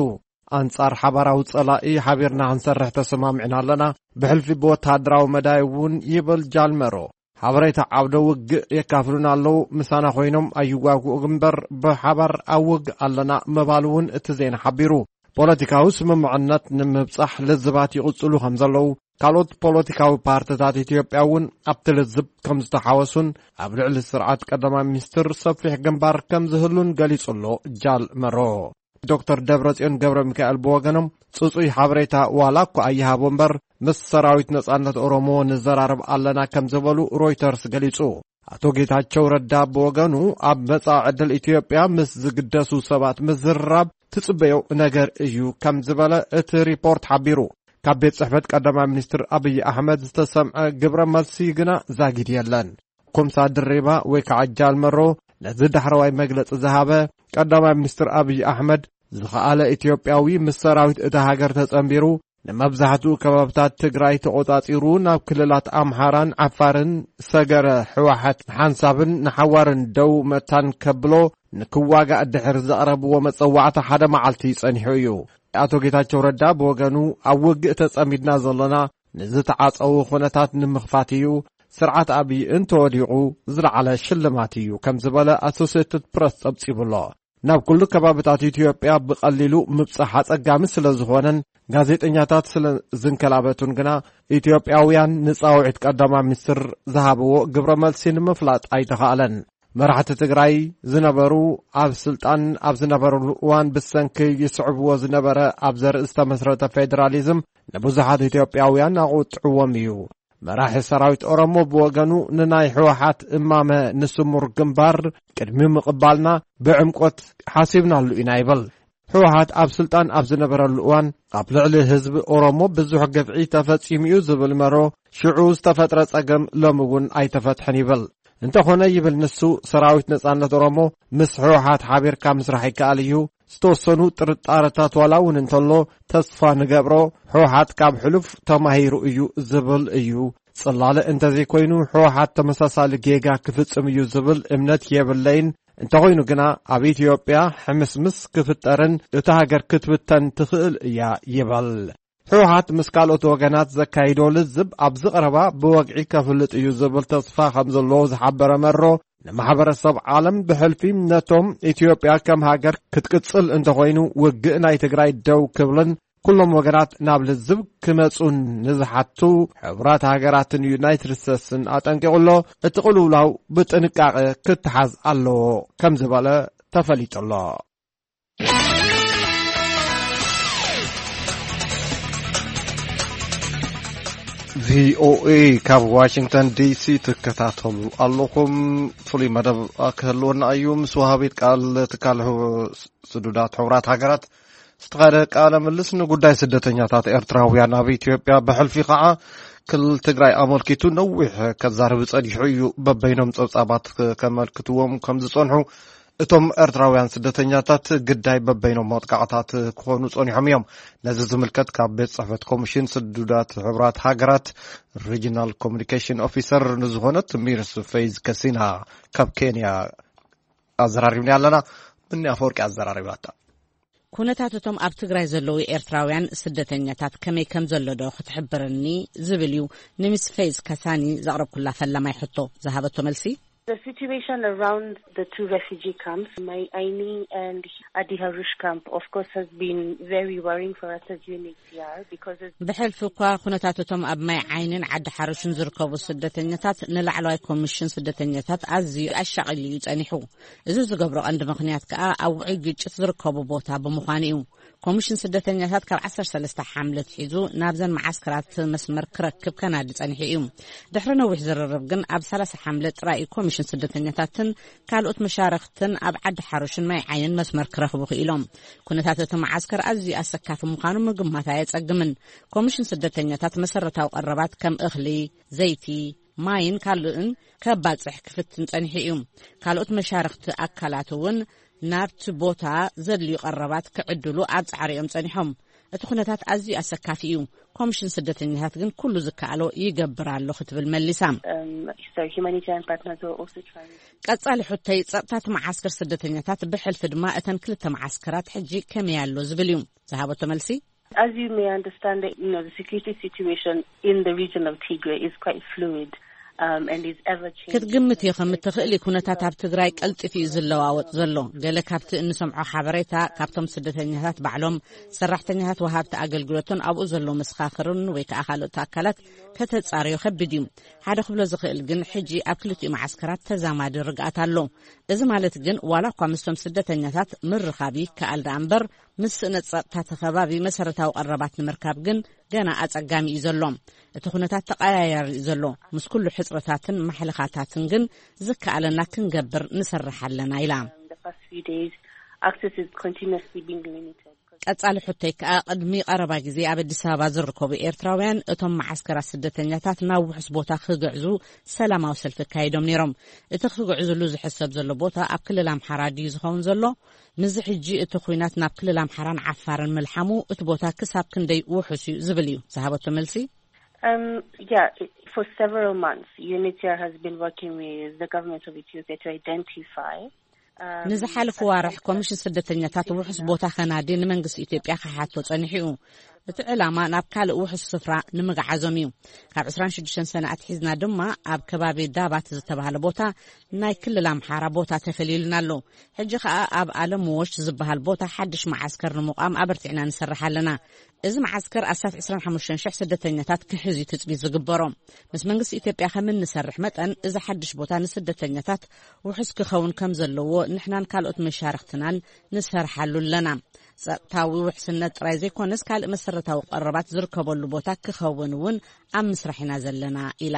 ኣንጻር ሓባራዊ ጸላኢ ሓቢርና ክንሰርሕ ተሰማሚዕና ኣለና፣ ብሕልፊ ብወተሃደራዊ መዳይ እውን ይብል ጃልመሮ። ሓበሬታ ዓውደ ውግእ የካፍሉና ኣለዉ፣ ምሳና ኮይኖም ኣይዋግኡ እምበር ብሓባር ኣብ ውግእ ኣለና ምባል እውን እቲ ዜና ሓቢሩ። ፖለቲካዊ ስምምዕነት ንምብጻሕ ልዝባት ይቕጽሉ ከም ዘለዉ፣ ካልኦት ፖለቲካዊ ፓርትታት ኢትዮጵያ እውን ኣብቲ ልዝብ ከም ዝተሓወሱን ኣብ ልዕሊ ስርዓት ቀዳማይ ሚኒስትር ሰፊሕ ግንባር ከም ዝህሉን ገሊጹ ኣሎ ጃል መሮ። ዶክተር ደብረጽዮን ገብረ ሚካኤል ብወገኖም ጽጹይ ሓበሬታ ዋላ እኳ ኣይሃቦ እምበር ምስ ሰራዊት ነጻነት ኦሮሞ ንዘራረብ ኣለና ከም ዝበሉ ሮይተርስ ገሊጹ። ኣቶ ጌታቸው ረዳ ብወገኑ ኣብ መጻኢ ዕድል ኢትዮጵያ ምስ ዝግደሱ ሰባት ምዝርራብ ትጽበዮ ነገር እዩ ከም ዝበለ እቲ ሪፖርት ሓቢሩ። ካብ ቤት ጽሕፈት ቀዳማይ ሚኒስትር ኣብይ ኣሕመድ ዝተሰምዐ ግብረ መልሲ ግና ዛጊድ የለን። ኮምሳ ድሪባ ወይ ከዓ ጃል መሮ ነዚ ዳሕረዋይ መግለጺ ዝሃበ ቀዳማይ ሚኒስትር ኣብይ ኣሕመድ ዝኸኣለ ኢትዮጵያዊ ምስ ሰራዊት እታ ሃገር ተጸንቢሩ ንመብዛሕትኡ ከባብታት ትግራይ ተቖጻጺሩ ናብ ክልላት ኣምሓራን ዓፋርን ሰገረ ህወሓት ንሓንሳብን ንሓዋርን ደው መታን ከብሎ ንክዋጋእ ድሕሪ ዘቕረብዎ መጸዋዕታ ሓደ መዓልቲ ጸኒሑ እዩ። ኣቶ ጌታቸው ረዳ ብወገኑ ኣብ ውግእ ተጸሚድና ዘለና ንዝተዓጸዉ ኩነታት ንምኽፋት እዩ፣ ስርዓት ኣብይ እንተወዲቑ ዝለዓለ ሽልማት እዩ ከም ዝበለ ኣሶሴትድ ፕረስ ጸብጺቡ ኣሎ። ናብ ኩሉ ከባብታት ኢትዮጵያ ብቐሊሉ ምብጻሕ ኣጸጋሚ ስለ ዝኾነን ጋዜጠኛታት ስለ ዝንከላበቱን ግና ኢትዮጵያውያን ንጻውዒት ቀዳማይ ሚኒስትር ዝሃብዎ ግብረ መልሲ ንምፍላጥ ኣይተኻእለን። መራሕቲ ትግራይ ዝነበሩ ኣብ ስልጣን ኣብ ዝነበሩሉ እዋን ብሰንኪ ይስዕብዎ ዝነበረ ኣብ ዘርኢ ዝተመስረተ ፌዴራሊዝም ንብዙሓት ኢትዮጵያውያን ኣቑጥዕዎም እዩ። መራሒ ሰራዊት ኦሮሞ ብወገኑ ንናይ ህወሓት እማመ ንስሙር ግንባር ቅድሚ ምቕባልና ብዕምቆት ሓሲብናሉ ኢና ይብል። ህወሓት ኣብ ስልጣን ኣብ ዝነበረሉ እዋን ኣብ ልዕሊ ህዝቢ ኦሮሞ ብዙሕ ግፍዒ ተፈጺሙ እዩ ዝብል መሮ ሽዑ ዝተፈጥረ ጸገም ሎሚ እውን ኣይተፈትሐን ይብል። እንተኾነ ይብል ንሱ ሰራዊት ነጻነት ኦሮሞ ምስ ህወሓት ሓቢርካ ምስራሕ ይከኣል እዩ። ዝተወሰኑ ጥርጣረታት ዋላ እውን እንተሎ ተስፋ ንገብሮ ህወሓት ካብ ሕሉፍ ተማሂሩ እዩ ዝብል እዩ። ጽላለ እንተዘይኮይኑ ህወሓት ተመሳሳሊ ጌጋ ክፍጽም እዩ ዝብል እምነት የብለይን። እንተኾይኑ ግና ኣብ ኢትዮጵያ ሕምስምስ ክፍጠርን እታ ሃገር ክትብተን ትኽእል እያ ይበል። ህወሓት ምስ ካልኦት ወገናት ዘካይዶ ልዝብ ኣብዚ ቀረባ ብወግዒ ከፍልጥ እዩ ዝብል ተስፋ ከም ዘለዎ ዝሓበረ መሮ ንማሕበረሰብ ዓለም ብሕልፊ ነቶም ኢትዮጵያ ከም ሃገር ክትቅጽል እንተኾይኑ ውግእ ናይ ትግራይ ደው ክብልን ኩሎም ወገናት ናብ ልዝብ ክመጹን ንዝሓቱ ሕቡራት ሃገራትን ዩናይትድ ስቴትስን ኣጠንቂቑ ኣሎ። እቲ ቅልውላው ብጥንቃቐ ክትሓዝ ኣለዎ ከም ዝበለ ተፈሊጡ ኣሎ። ቪኦኤ ካብ ዋሽንግተን ዲሲ ትከታተሉ ኣለኹም። ፍሉይ መደብ ክህልወና እዩ። ምስ ወሃቢት ቃል ትካል ስዱዳት ሕቡራት ሃገራት ዝተኻየደ ቃለ ምልስ ንጉዳይ ስደተኛታት ኤርትራውያን ኣብ ኢትዮጵያ ብሕልፊ ከዓ ክልል ትግራይ ኣመልኪቱ ነዊሕ ከዛርብ ጸኒሑ እዩ። በበይኖም ጸብጻባት ከመልክትዎም ከም ዝጸንሑ እቶም ኤርትራውያን ስደተኛታት ግዳይ በበይኖም መጥቃዕታት ክኾኑ ጸኒሖም እዮም። ነዚ ዝምልከት ካብ ቤት ጽሕፈት ኮሚሽን ስዱዳት ሕቡራት ሃገራት ሪጂናል ኮሚኒኬሽን ኦፊሰር ንዝኾነት ሚርስ ፌዝ ከሲና ካብ ኬንያ ኣዘራሪብና ኣለና። ብኒ ኣፈወርቂ ኣዘራሪባታ። ኩነታት እቶም ኣብ ትግራይ ዘለዉ ኤርትራውያን ስደተኛታት ከመይ ከም ዘሎ ዶ ክትሕብርኒ ዝብል እዩ ንሚስ ፌዝ ካሳኒ ዘቕረብኩላ ፈላማይ ሕቶ። ዝሃበቶ መልሲ። The situation around the two refugee camps, Mai Aini and Adi Harush camp, of course, has been very worrying for us as U N H C R because, as ብሕልፊ እኳ ኩነታት እቶም ኣብ ማይ ዓይንን ዓዲ ሓሩሽን ዝርከቡ ስደተኛታት ንላዕለዋይ ኮሚሽን ስደተኛታት ኣዝዩ ኣሻቒሉ እዩ ጸኒሑ። እዚ ዝገብሮ ቀንዲ ምኽንያት ከኣ ኣብ ውዑይ ግጭት ዝርከቡ ቦታ ብምዃኑ እዩ። ኮሚሽን ስደተኛታት ካብ ዓሰርተ ሰለስተ ሓምለ ኣትሒዙ ናብዘን መዓስከራት መስመር ክረክብ ከናዲ ጸኒሑ እዩ። ድሕሪ ነዊሕ ዝርርብ ግን ኣብ ሰላሳ ሓምለ ጥራይ እዩ ኮሚሽን ስደተኛታትን ካልኦት መሻርኽትን ኣብ ዓዲ ሓሩሽን ማይ ዓይንን መስመር ክረኽቡ ክኢሎም። ኩነታት እቲ መዓስከር ኣዝዩ ኣሰካፊ ምዃኑ ምግማት ኣየጸግምን። ኮሚሽን ስደተኛታት መሰረታዊ ቀረባት ከም እኽሊ፣ ዘይቲ፣ ማይን ካልእን ከባጽሕ ክፍትን ጸኒሑ እዩ። ካልኦት መሻርኽቲ ኣካላት እውን ናብቲ ቦታ ዘድልዩ ቀረባት ክዕድሉ ኣብ ጻዕሪ እዮም ጸኒሖም። እቲ ኩነታት ኣዝዩ ኣሰካፊ እዩ። ኮሚሽን ስደተኛታት ግን ኩሉ ዝከኣሎ ይገብር ኣሎ ክትብል መሊሳ። Um, so humanitarian partners are also trying. ቀጻሊ ሕቶይ ጸጥታ እቲ መዓስከር ስደተኛታት ብሕልፊ ድማ እተን ክልተ መዓስከራት ሕጂ ከመይ ኣሎ ዝብል እዩ። ዝሃበቶ መልሲ። As you may understand, you know, the security situation in the region of Tigray is quite fluid, um, and is ever changing. ክትግምት ኢኸም እትኽእሊ ኩነታት ኣብ ትግራይ ቀልጢፉ እዩ ዝለዋወጥ ዘሎ። ገለ ካብቲ እንሰምዖ ሓበሬታ ካብቶም ስደተኛታት ባዕሎም፣ ሰራሕተኛታት ወሃብቲ ኣገልግሎትን ኣብኡ ዘለዉ መሰኻኽርን ወይ ከዓ ካልኦት ኣካላት ከተጻርዮ ከቢድ እዩ። ሓደ ክብሎ ዝኽእል ግን ሕጂ ኣብ ክልቲኡ መዓስከራት ተዛማዲ ርግኣት ኣሎ። እዚ ማለት ግን ዋላ እኳ ምስቶም ስደተኛታት ምርኻብ ይከኣል ደኣ እምበር ምስ ስእነት ጸጥታ ተኸባቢ መሰረታዊ ቀረባት ንምርካብ ግን ገና ኣጸጋሚ እዩ ዘሎ። እቲ ኩነታት ተቐያያሪ እዩ ዘሎ። ምስ ኩሉ ሕጽረታትን ማሕለኻታትን ግን ዝከኣለና ክንገብር ንሰርሕ ኣለና ኢላ። The past few days, access is continuously being limited. ቀጻሊ ሕቶይ ከኣ ቅድሚ ቀረባ ግዜ ኣብ ኣዲስ ኣበባ ዝርከቡ ኤርትራውያን እቶም መዓስከራት ስደተኛታት ናብ ውሑስ ቦታ ክግዕዙ ሰላማዊ ሰልፊ ኣካይዶም ነይሮም። እቲ ክግዕዝሉ ዝሕሰብ ዘሎ ቦታ ኣብ ክልል ኣምሓራ ድዩ ዝኸውን ዘሎ? ምስዚ ሕጂ እቲ ኲናት ናብ ክልል ኣምሓራን ዓፋርን ምልሓሙ እቲ ቦታ ክሳብ ክንደይ ውሑስ እዩ ዝብል እዩ ዝሃበቶ መልሲ። Um, yeah, it- for several months, U N H C R has been working with the government of Ethiopia to identify, um, ንዝሓለፉ ዋርሕ ኮሚሽን ስደተኛታት ውሑስ ቦታ ከናዲ ንመንግስቲ ኢትዮጵያ ክሓቶ ጸኒሑ እዩ። እቲ ዕላማ ናብ ካልእ ውሑስ ስፍራ ንምግዓዞም እዩ። ካብ ዕስራን ሽዱሽተን ሰነ ኣትሒዝና ድማ ኣብ ከባቢ ዳባት ዝተባህለ ቦታ ናይ ክልል ኣምሓራ ቦታ ተፈልዩልና ኣሎ። ሕጂ ኸኣ ኣብ ኣለምዎሽ ዝበሃል ቦታ ሓድሽ መዓስከር ንምቋም ኣበርቲዕና ንሰርሕ ኣለና። እዚ መዓስከር ኣስታት ዕስራን ሓሙሽተን ሽሕ ስደተኛታት ክሕዝ እዩ ትጽቢት ዝግበሮ። ምስ መንግስቲ ኢትዮጵያ ከም እንሰርሕ መጠን፣ እዚ ሓድሽ ቦታ ንስደተኛታት ውሑስ ክኸውን ከም ዘለዎ ንሕናን ካልኦት መሻርኽትናን ንሰርሓሉ ኣለና። ጸጥታዊ ውሕስነት ጥራይ ዘይኮነስ፣ ካልእ መሰረታዊ ቀረባት ዝርከበሉ ቦታ ክኸውን እውን ኣብ ምስራሕ ኢና ዘለና ኢላ።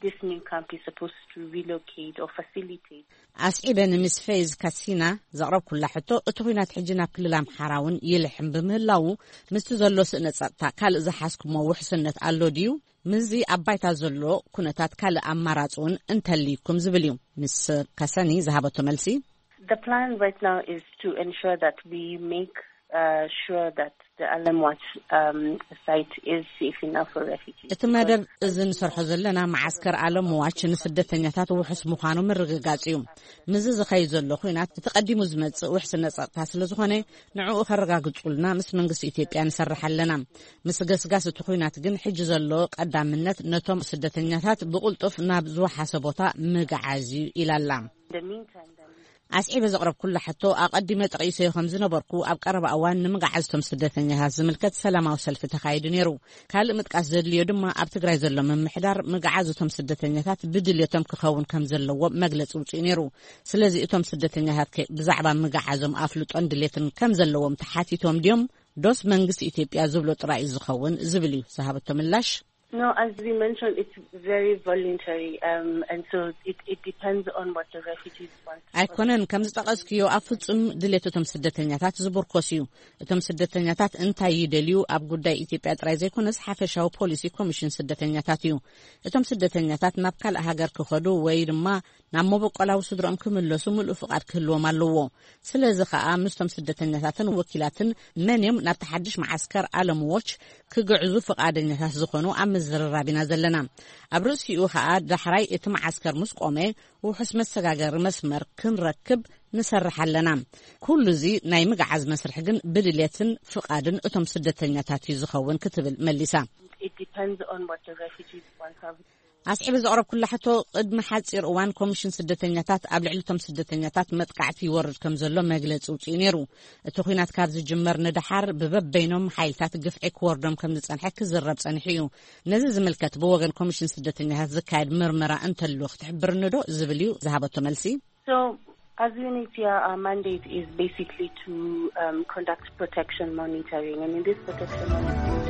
This new camp is supposed to relocate or facilitate. ኣስዒበ ንሚስ ፌዝ ካሲና ዘቕረብኩላ ሕቶ፣ እቲ ኲናት ሕጂ ናብ ክልል ኣምሓራ እውን ይልሕም ብምህላዉ፣ ምስቲ ዘሎ ስእነ ጸጥታ ካልእ ዝሓዝኩሞ ውሕስነት ኣሎ ድዩ? ምስዚ ኣብ ባይታ ዘሎ ኩነታት ካልእ ኣማራጺ እውን እንተልይኩም ዝብል እዩ። ሚስ ካሰኒ ዝሃበቶ መልሲ። The plan right now is to ensure that we make, uh, sure that the Alamwat, um, site is safe enough for refugees. እቲ መደብ እዚ ንሰርሖ ዘለና መዓስከር ኣለምዋች ንስደተኛታት ውሑስ ምዃኑ ምርግጋጽ እዩ። ምስዚ ዝኸይድ ዘሎ ኲናት እቲ ቀዲሙ ዝመጽእ ውሕስነት ጸጥታ ስለ ዝኾነ፣ ንዕኡ ከረጋግጹልና ምስ መንግስቲ ኢትዮጵያ ንሰርሕ ኣለና። ምስ ገስጋስ እቲ ኲናት ግን ሕጂ ዘሎ ቀዳምነት ነቶም ስደተኛታት ብቕልጡፍ ናብ ዝወሓሰ ቦታ ምግዓዝ እዩ ኢላ ኣላ። In the meantime, then, ኣስዒበ ዘቕረብኩላ ሕቶ፣ ኣቐዲመ ጠቒሰዮ ከም ዝነበርኩ፣ ኣብ ቀረባ እዋን ንምግዓዝቶም ስደተኛታት ዝምልከት ሰላማዊ ሰልፊ ተኻይዱ ነይሩ። ካልእ ምጥቃስ ዘድልዮ ድማ፣ ኣብ ትግራይ ዘሎ ምምሕዳር ምግዓዝ እቶም ስደተኛታት ብድልየቶም ክኸውን ከም ዘለዎ መግለጺ ውፅኡ ነይሩ። ስለዚ እቶም ስደተኛታት ከ ብዛዕባ ምግዓዞም ኣፍልጦን ድሌትን ከም ዘለዎም ተሓቲቶም ድዮም? ዶስ መንግስቲ ኢትዮጵያ ዝብሎ ጥራይ እዩ ዝኸውን ዝብል እዩ ዝሃበቶ ምላሽ። No, as we mentioned, it's very voluntary, um, and so it, it depends on what the refugees want. ኣይኮነን፣ ከም ዝጠቐስክዮ ኣብ ፍጹም ድሌት እቶም ስደተኛታት ዝምርኮስ እዩ። እቶም ስደተኛታት እንታይ ይደልዩ ኣብ ጉዳይ ኢትዮጵያ ጥራይ ዘይኮነስ ሓፈሻዊ ፖሊሲ ኮሚሽን ስደተኛታት እዩ። እቶም ስደተኛታት ናብ ካልእ ሃገር ክኸዱ ወይ ድማ ናብ መበቆላዊ ስድሮኦም ክምለሱ ምሉእ ፍቓድ ክህልዎም ኣለዎ። ስለዚ ኸኣ ምስቶም ስደተኛታትን ወኪላትን መን እዮም ናብቲ ሓድሽ መዓስከር ኣለምዎች ክግዕዙ ፍቓደኛታት ዝኾኑ ኣብ ምዝርራብ ኢና ዘለና። ኣብ ርእሲኡ ከኣ ዳሕራይ እቲ መዓስከር ምስ ቆመ ውሑስ መሰጋገሪ መስመር ክንረክብ ንሰርሕ ኣለና። ኩሉ እዚ ናይ ምግዓዝ መስርሕ ግን ብድሌትን ፍቓድን እቶም ስደተኛታት እዩ ዝኸውን ክትብል መሊሳ። It depends on what the refugees want. ኣስዒበ ዘቕረብኩላ ሕቶ፣ ቅድሚ ሓጺር እዋን ኮሚሽን ስደተኛታት ኣብ ልዕሊ እቶም ስደተኛታት መጥቃዕቲ ይወርድ ከም ዘሎ መግለጺ ውጽኡ ነይሩ። እቲ ኲናት ካብ ዝጅመር ንደሓር ብበበይኖም ሓይልታት ግፍዒ ክወርዶም ከም ዝጸንሐ ክዝረብ ጸኒሑ እዩ። ነዚ ዝምልከት ብወገን ኮሚሽን ስደተኛታት ዝካየድ ምርመራ እንተሉ ክትሕብርኒ ዶ ዝብል እዩ ዝሃበቶ መልሲ። So, as U N H C R, our mandate is basically to um, conduct protection monitoring, and in this protection monitoring,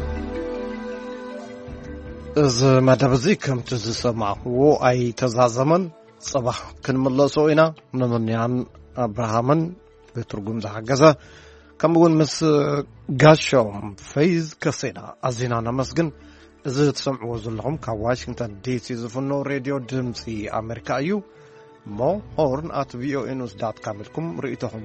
እዚ መደብ እዚ ከምቲ ዝሰማዕክዎ ኣይተዛዘመን። ጽባሕ ክንምለሶ ኢና። ንምንያን ኣብርሃምን ብትርጉም ዝሓገዘ፣ ከምኡውን ምስ ጋሾም ፈይዝ ከሴና ኣዚና ነመስግን። እዚ ትሰምዕዎ ዘለኹም ካብ ዋሽንግተን ዲሲ ዝፍኖ ሬድዮ ድምፂ ኣሜሪካ እዩ። እሞ ሆርን ኣት ቪኦኤ ኒውስ ዳት ካም ኢልኩም ርእይቶኹም